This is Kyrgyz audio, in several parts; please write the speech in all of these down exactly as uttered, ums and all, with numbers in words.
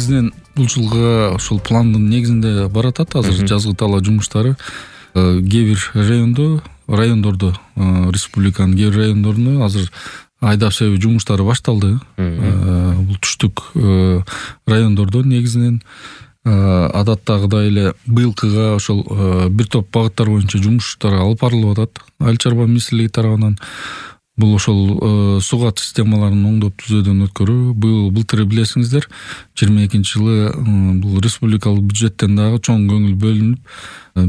негизинен бул жылга ошол пландын негизинде баратат азыр жазгы талаа жумуштары. Кээ бир райондо райондордо республиканын кээ бир райондорунда азыр айдап себүү жумуштары башталды. Бул түштүк райондордо негизинен адаттагыдай эле быйылкыга ошол бир топ багыттар боюнча жумуштар алып барылып атат Айыл чарба министрлиги тарабынан. Бул ошол сугат системаларын оңдоп түзөөдөн өткөрүү. Быйыл былтыр билесиңиздер, жыйырма экинчи жылы бул республикалык бюджеттен дагы чоң көңүл бөлүнүп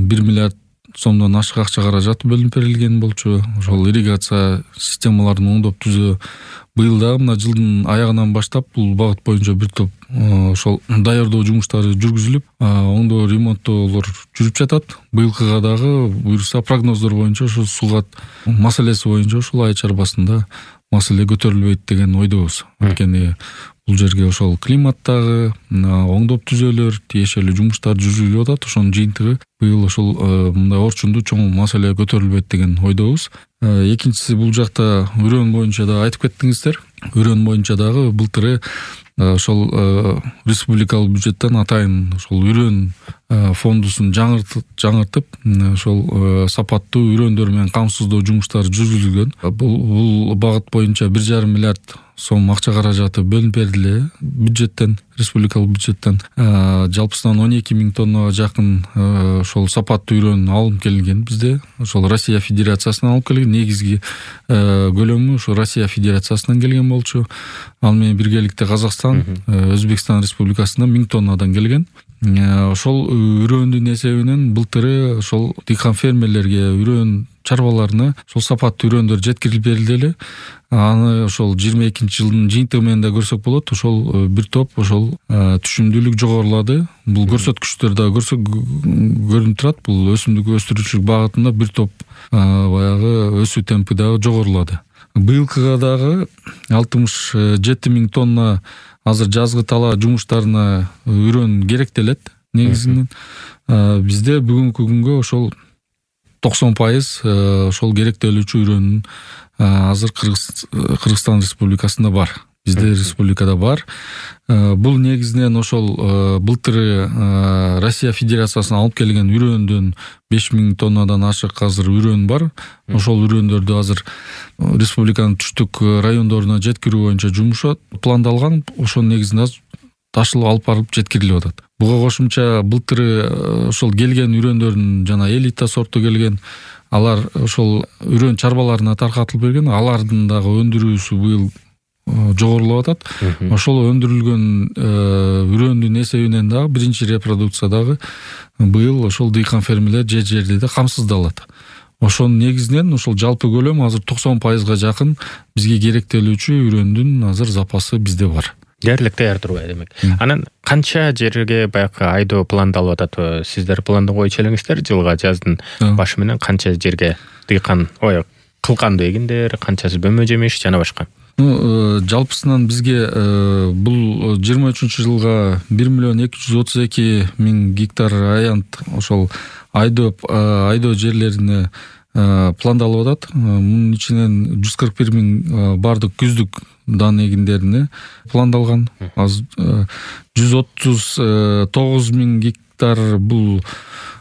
бир миллиард сомдон ашык акча каражат бөлүнүп берилген болчу. Ошол ирригация системаларын оңдоп түзөө. Быйыл дагы мына жылдын аягынан баштап бул багыт боюнча бир топ ошол даярдоо жумуштары жүргүзүлүп, оңдоо ремонттоолор жүрүп жатат. Быйылкыга дагы буюрса прогноздор боюнча ошол сугат маселеси боюнча ушул айыл чарбасында маселе көтөрүлбөйт деген ойдобуз. Анткени бул жерге ошол климаттагы оңдоп түзөөлөр, тиешелүү жумуштар жүргүзүлүп атат. Ошонун жыйынтыгы быйыл ошол мындай орчундуу чоң маселе көтөрүлбөйт деген ойдобуз. Экинчиси, бул жакта үрөөн боюнча да айтып кеттиңиздер. Үрөөн боюнча дагы былтыры ошол республикалык бюджеттен атайын ошол үрөөн фондусун жаңыртып, ошол сапаттуу үрөөндөр менен камсыздоо жумуштары жүргүзүлгөн. Бул багыт боюнча бир жарым миллиард сом акча каражаты бөлүнүп берилди бюджеттен, республикалык бюджеттен. Жалпысынан он эки миң тоннага жакын ошол сапаттуу үрөөн алынып келинген бизде. Ошол Россия Федерациясынан алып келген, негизги көлөмү ошо Россия Федерациясынан келген болчу. Ал менен биргеликте Казакстан, Өзбекстан Республикасынан миң тоннадан келген. Ошол үрөөндүн эсебинен былтыры ошол дыйкан фермерлерге, үрөөн чарбаларына ошол сапаттуу үрөөндөр жеткирилип берилди эле. Аны ошол жыйырма экинчи жылдын жыйынтыгы менен да көрсөк болот. Ошол бир топ ошол түшүмдүүлүк жогорулады. Бул көрсөткүчтөр да көрүнүп турат. Бул өсүмдүк өстүрүүчүлүк багытында бир топ баягы өсүү темпи дагы жогорулады. Быйылкыга дагы алтымыш жети миң тонна азыр жазгы талаа жумуштарына үрөөн керектелет. Негизинен бизде бүгүнкү күнгө ошол токсон пайыз ошол керектелүүчү үрөөнүн азыр Кыргызстан Республикасында бар. Бизде республикада бар. Бул негизинен ошол былтыры Россия Федерациясынан алып келген үрөөндөн беш миң тоннадан ашык азыр үрөөн бар. Ошол үрөөндөрдү азыр республиканын түштүк райондоруна жеткирүү боюнча жумуш пландалган. Ошонун негизинде ташылып алып барылып жеткирилип атат. Буга кошумча былтыры ошол келген үрөөндөрдүн жана элита сорту келген, алар ошол үрөөн чарбаларына таркатылып берген. Алардын дагы өндүрүүсү быйыл жогорулап атат. Ошол өндүрүлгөн үрөөндүн эсебинен дагы биринчи репродукция дагы быйыл ошол дыйкан фермерлер же жерде камсыздалат. Ошонун негизинен ошол жалпы көлөм азыр токсон пайызга жакын бизге керектелүүчү үрөөндүн азыр запасы бизде бар. Дээрлик даяр турбайт демек. Анан канча жерге баягы айдоо пландалып атат? Сиздер планды койчу элеңиздер жылга жаздын башы менен канча жерге дыйкан, ой, кылканды эгиндер, канчасы бөмө жемиш жана башка? Жалпысынан бизге бул жыйырма үчүнчү жылга бир миллион эки жүз отуз эки миң гектар аянт ошол айдоо айдоо жерлерине пландалып атат. Мунун ичинен жүз кырк бир миң бардык күздүк дан эгиндерине пландалган. Азыр жүз отуз тогуз миң гектар бул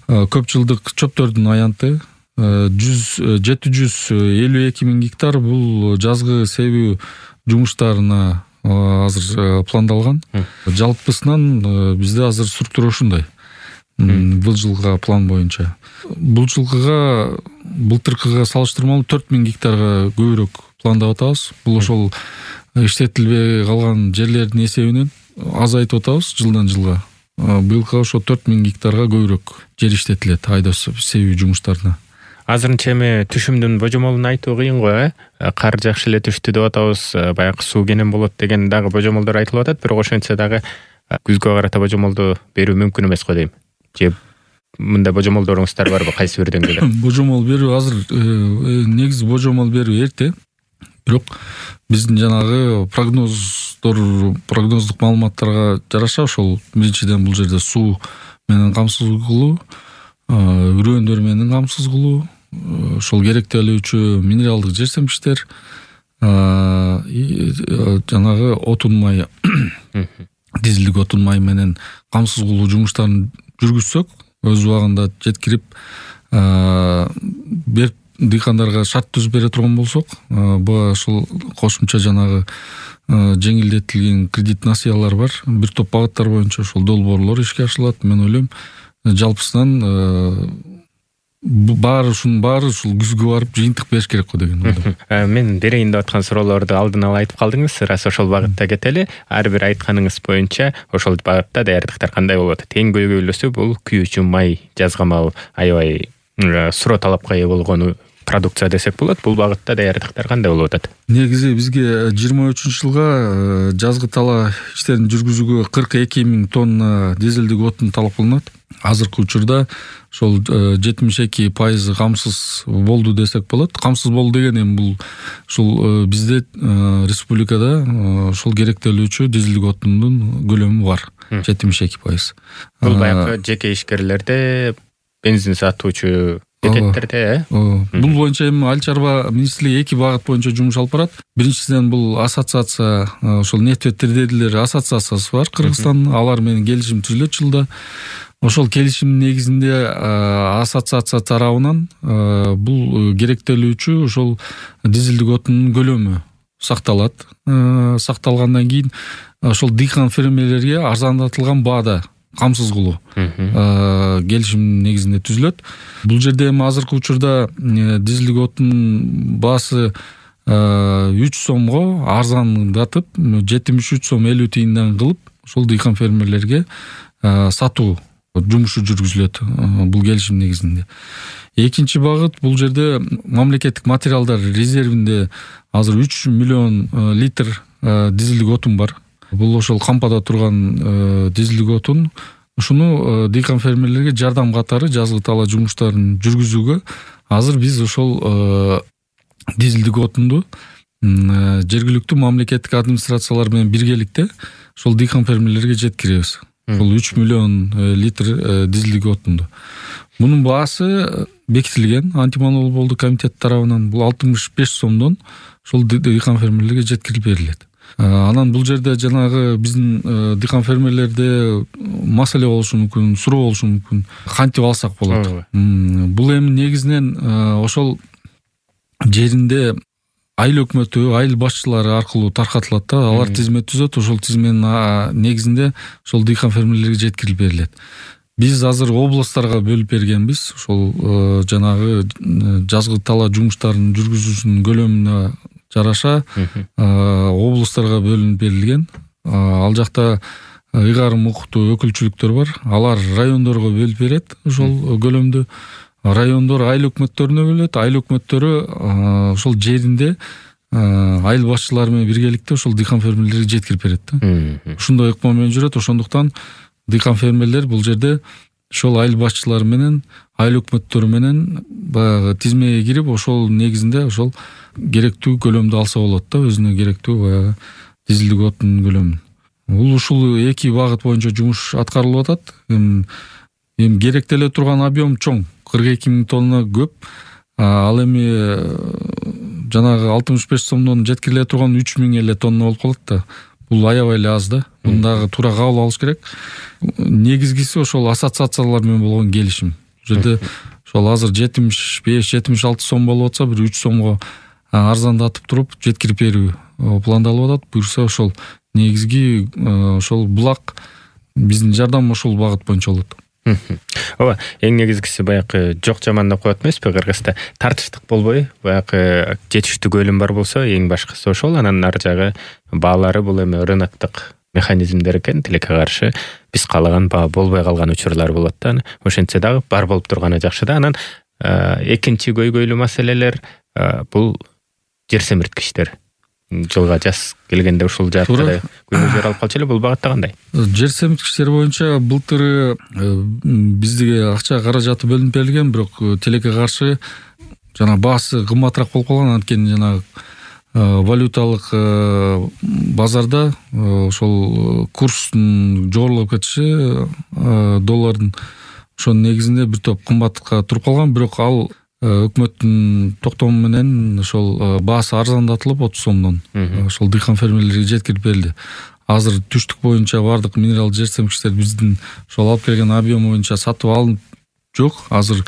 көп жылдык чөптөрдүн аянты. жети жүз элүү эки миң гектар бул жазгы себүү жумуштарына азыр пландалган. Жалпысынан бизде азыр структура ушундай. Бул жылга план боюнча. Бул жылга былтыркыга салыштырмалуу төрт миң гектарга көбүрөөк пландап атабыз. Бул ошол иштетилбей калган жерлердин эсебинен азайтып атабыз жылдан жылга. Быйылкы ошо төрт миң гектарга көбүрөөк жер иштетилет айдоо себүү жумуштарына. Азырынча эми түшүмдүн божомолун айтуу кыйын го, э? Кар жакшы эле түштү деп атабыз, баягы суу кенен болот деген дагы божомолдор айтылып атат, бирок ошентсе дагы күзгө карата божомолду берүү мүмкүн эмес го дейм. Же мындай божомолдоруңуздар барбы, кайсы бир деңгээлде? Божомол берүү азыр негизи божомол берүү эрте. Бирок биздин жанагы прогноздор, прогноздук маалыматтарга жараша ошол биринчиден бул жерде суу менен камсыз кылуу, үрөөндөр менен камсыз кылуу, ошол керектелүүчү минералдык жерсемиштер, жанагы отун май дизелдик отун май менен камсыз кылуу жумуштарын жүргүзсөк, өз убагында жеткирип берип дыйкандарга шарт түзүп бере турган болсок, буга ушул кошумча жанагы жеңилдетилген кредит насыялар бар. Бир топ багыттар боюнча ошол долбоорлор ишке ашырылат. Мен ойлойм, жалпысынан баары ушунун баары ушул күзгө барып жыйынтык бериш керек го деген ойлойм. Мен берейин деп аткан суроолорду алдын ала айтып калдыңыз. Рас ошол багытта кетели. Ар бир айтканыңыз боюнча ошол багытта даярдыктар кандай болуп атат? Эң көйгөйлүүсү бул күйүүчү май жазгамал аябай суроо талапка ээ болгону продукция десек болот. Бул багытта даярдыктар кандай болуп атат? Негизи бизге жыйырма үчүнчү жылга жазгы тала иштерин жүргүзүүгө кырк эки миң тонна дизелдик отун талап кылынат. Азыркы учурда ошол жетимиш эки пайызы камсыз болду десек болот. Камсыз болду деген эми бул ушул бизде республикада ошол керектелүүчү дизелдик отундун көлөмү бар. жетимиш эки пайыз. Бул баягы жеке ишкерлерде, бензин сатуучу бекеттерде, э? Бул боюнча эми Айыл чарба министрлиги эки багыт боюнча жумуш алып барат. Биринчиден бул ассоциация, ошол нефть трейдерлер ассоциациясы бар Кыргызстан, алар менен келишим түзүлөт жылда. Ошол келишимдин негизинде ассоциация тарабынан бул керектелүүчү ошол дизелдик отундун көлөмү сакталат. Сакталгандан кийин ошол дыйкан фермерлерге арзандатылган баада камсыз кылуу келишим негизинде түзүлөт. Бул жерде эми азыркы учурда дизелдик отундун баасы үч сомго арзандатып, жетимиш үч сом элүү тыйындан кылып, ошол дыйкан фермерлерге сатуу жумушу жүргүзүлөт бул келишим негизинде. Экинчи багыт, бул жерде мамлекеттик материалдар резервинде азыр үч миллион литр дизелдик отун бар. Бул ошол кампада турган дизелдик отун. Ушуну дыйкан фермерлерге жардам катары жазгы тала жумуштарын жүргүзүүгө азыр биз ошол дизелдик отунду жергиликтүү мамлекеттик администрациялар менен биргеликте ошол дыйкан фермерлерге жеткиребиз. Бул үч миллион литр дизелдик отунду. Мунун баасы бекитилген антимонополдук комитет тарабынан. Бул алтымыш беш сомдон ошол дыйкан фермерлерге жеткирип берилет. Анан бул жерде жанагы биздин дыйкан фермерлерде маселе болушу мүмкүн, суроо болушу мүмкүн. Кантип алсак болот? Бул эми негизинен ошол жеринде айыл өкмөтү, айыл башчылары аркылуу таркатылат да, алар тизме түзөт, ошол тизменин негизинде ошол дыйкан фермерлерге жеткирип берилет. Биз азыр областтарга бөлүп бергенбиз. Ошол жанагы жазгы тала жумуштарын жүргүзүүсүнүн көлөмүнө жараша областтарга бөлүнүп берилген. Ал жакта ыйгарым укуктуу өкүлчүлүктөр бар. Алар райондорго бөлүп берет ошол көлөмдү. Райондор айыл өкмөттөрүнө бөлөт. Айыл өкмөттөрү ошол жеринде айыл башчылары менен биргеликте ошол дыйкан фермерлерге жеткирип берет да. Ушундай ыкма менен жүрөт. Ошондуктан дыйкан фермерлер бул жерде ошол айыл башчылары менен, айыл өкмөттөрү менен баягы тизмеге кирип, ошол негизинде ошол керектүү көлөмдү алса болот да, өзүнө керектүү баягы дизелдик отундун көлөмүн. Бул ушул эки багыт боюнча жумуш аткарылып атат. Эми керектеле турган объем чоң, кырк эки миң тонна көп. Ал эми жанагы алтымыш беш сомдон жеткириле турган үч миң эле тонна болуп калат да. Бул аябай эле аз да. Мундагы туура кабыл алыш керек. Негизгиси ошол ассоциациялар менен болгон келишим. Бул жерде ошол азыр жетимиш беш жетимиш алты сом болуп атса, бир үч сомго арзандатып туруп жеткирип берүү пландалып атат. Буюрса ошол негизги ошол булак биздин жардам ошол багыт боюнча болот. Ооба, эң негизгиси баягы жок жаман деп коет эмеспи Кыргызда? Тартыштык болбой, баягы жетиштүү көлөм бар болсо, эң башкысы ошол. Анан ар жагы баалары бул эми рыноктук механизмдер экен, тилекке каршы биз каалаган баа болбой калган учурлар болот да. Ошентсе дагы бар болуп турганы жакшы да. Анан экинчи көйгөйлүү маселелер бул жер семирткичтер. Жылга жаз келгенде ушул жакта көйгөйлөр алып калчу эле. Бул багытта кандай? Жер семирткичтер боюнча былтыр бизге акча каражаты бөлүнүп берилген, бирок тилекке каршы жана баасы кымбатыраак болуп калган. Анткени жана валюталык базарда ошол курстун жогорулап кетиши доллардын ошонун негизинде бир топ кымбатка туруп калган. Бирок ал өкмөттүн токтому менен ошол баасы арзандатылып отуз сомдон ошол дыйкан фермерлерге жеткирип берилди. азыр түштүк боюнча баардык минералдык жер семкичтер биздин ошол алып келген объем боюнча сатып алынып жок. Азыр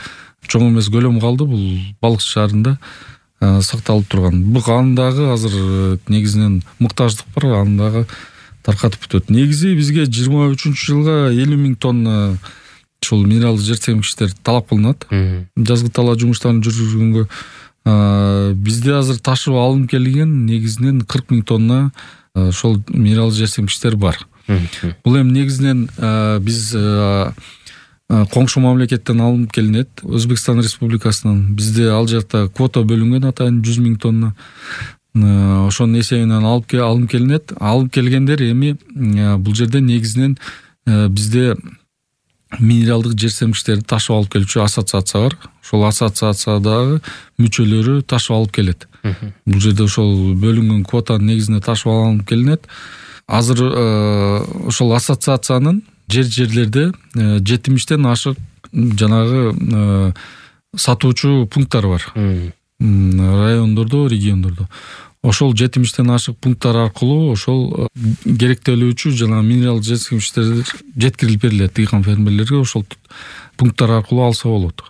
чоң эмес көлөм калды, бул балык шаарында сакталып турган. Бул андагы азыр негизинен муктаждык бар, андагы таркатып бүтөт. Негизи бизге жыйырма үчүнчү жылга элүү миң тонна ушул минералдык жер семкичтер талап кылынат. Жазгы талаа жумуштарын жүргүзгөнгө бизде азыр ташып алынып келген негизинен кырк миң тонна ошол минералдык жер семкичтер бар. Бул эми негизинен биз коңшу мамлекеттен алынып келинет, Өзбекстан Республикасынан. Бизде ал жакта квота бөлүнгөн атайын жүз миң тонна. Ошонун эсебинен алып алынып келинет. Алып келгендер эми бул жерде негизинен бизде минералдык жер семкичтерди ташып алып келүүчү ассоциация бар. Ошол ассоциациядагы мүчөлөрү ташып алып келет. Бул жерде ошол бөлүнгөн квотанын негизинде ташып алынып келинет. Азыр ошол ассоциациянын жер жерлерде жетимиштен ашык жанагы сатуучу пункттары бар. Райондордо, региондордо. Ошол жетимиштен ашык пункттар аркылуу ошол керектелүүчү жана минералдык жер семкичтер жеткирилип берилет дыйкан фермерлерге. Ошол пункттар аркылуу алса болот.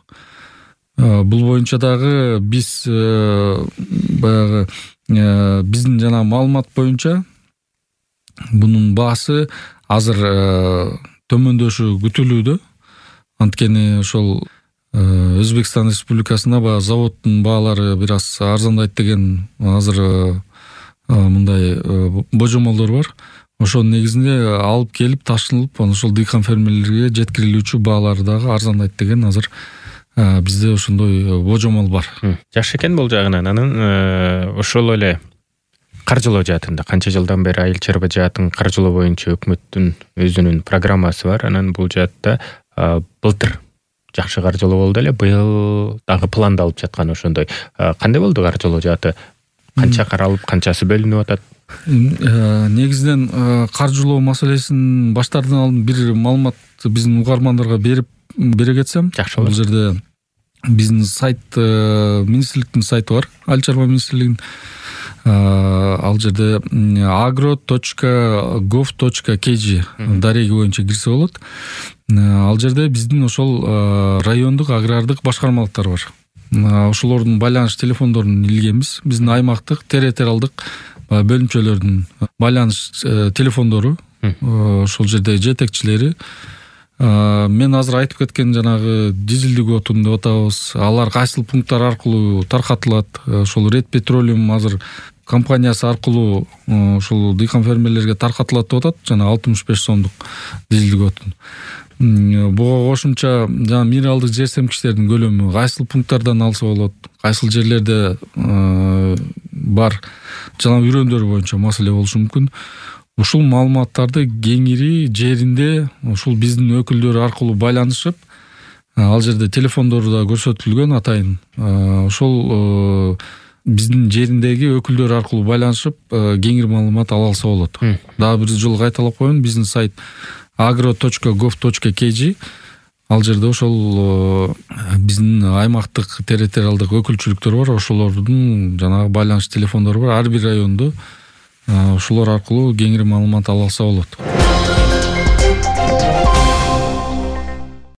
Бул боюнча дагы биз баягы биздин жана маалымат боюнча бунун баасы азыр төмөндөшү күтүлүүдө. Анткени ошол Өзбекстан Республикасында баягы заводдун баалары бир аз арзандайт деген азыр мындай божомолдор бар. Ошонун негизинде алып келип ташынылып, ошол дыйкан фермерлерге жеткирилүүчү баалары дагы арзандайт деген азыр бизде ошондой божомол бар. Жакшы экен бул жагынан. Анан ошол эле каржылоо жаатында канча жылдан бери айыл чарба жаатын каржылоо боюнча өкмөттүн өзүнүн программасы бар. Анан бул жаатта былтыр жакшы каржылоо болду эле. Быйыл дагы пландалып жаткан ошондой. Кандай болду каржылоо жааты? Канча каралып, канчасы бөлүнүп атат? Негизинен каржылоо маселесин баштардан алдын бир маалымат биздин угармандарга берип бере кетсем. Жакшы болот. Бул жерде биздин сайт, министрликтин сайты бар. Айыл чарба министрлигинин. Ал жерде agro точка gov точка kg дареги боюнча кирсе болот. Ал жерде биздин ошол райондук агрардык башкармалыктар бар. Ошолордун байланыш телефондорун илгенбиз. Биздин аймактык, территориалдык бөлүмчөлөрдүн байланыш телефондору ошол жерде жетекчилери. Мен азыр айтып кеткен жанагы дизелдик отун деп атабыз. Алар кайсыл пункттар аркылуу таркатылат. Ошол Ред Петролиум азыр компаниясы аркылуу ошол дыйкан фермерлерге таркатылат деп атат. Жана алтымыш беш сомдук дизелдик отун. Буга кошумча жана минералдык жер семкичтердин көлөмү кайсыл пункттардан алса болот, кайсыл жерлерде бар жана үрөндөр боюнча маселе болушу мүмкүн. Ушул маалыматтарды кеңири жеринде ушул биздин өкүлдөр аркылуу байланышып, ал жерде телефондору да көрсөтүлгөн атайын. Ошол биздин жериндеги өкүлдөр аркылуу байланышып, кеңири маалымат ала алса болот. Дагы бир жолу кайталап коеюн, биздин сайт agro точка gov точка kg. Ал жерде ошол биздин аймактык территориалдык өкүлчүлүктөр бар, ошолордун жанагы байланыш телефондору бар. Ар бир райондо ошолор аркылуу кеңири маалымат ала алса болот.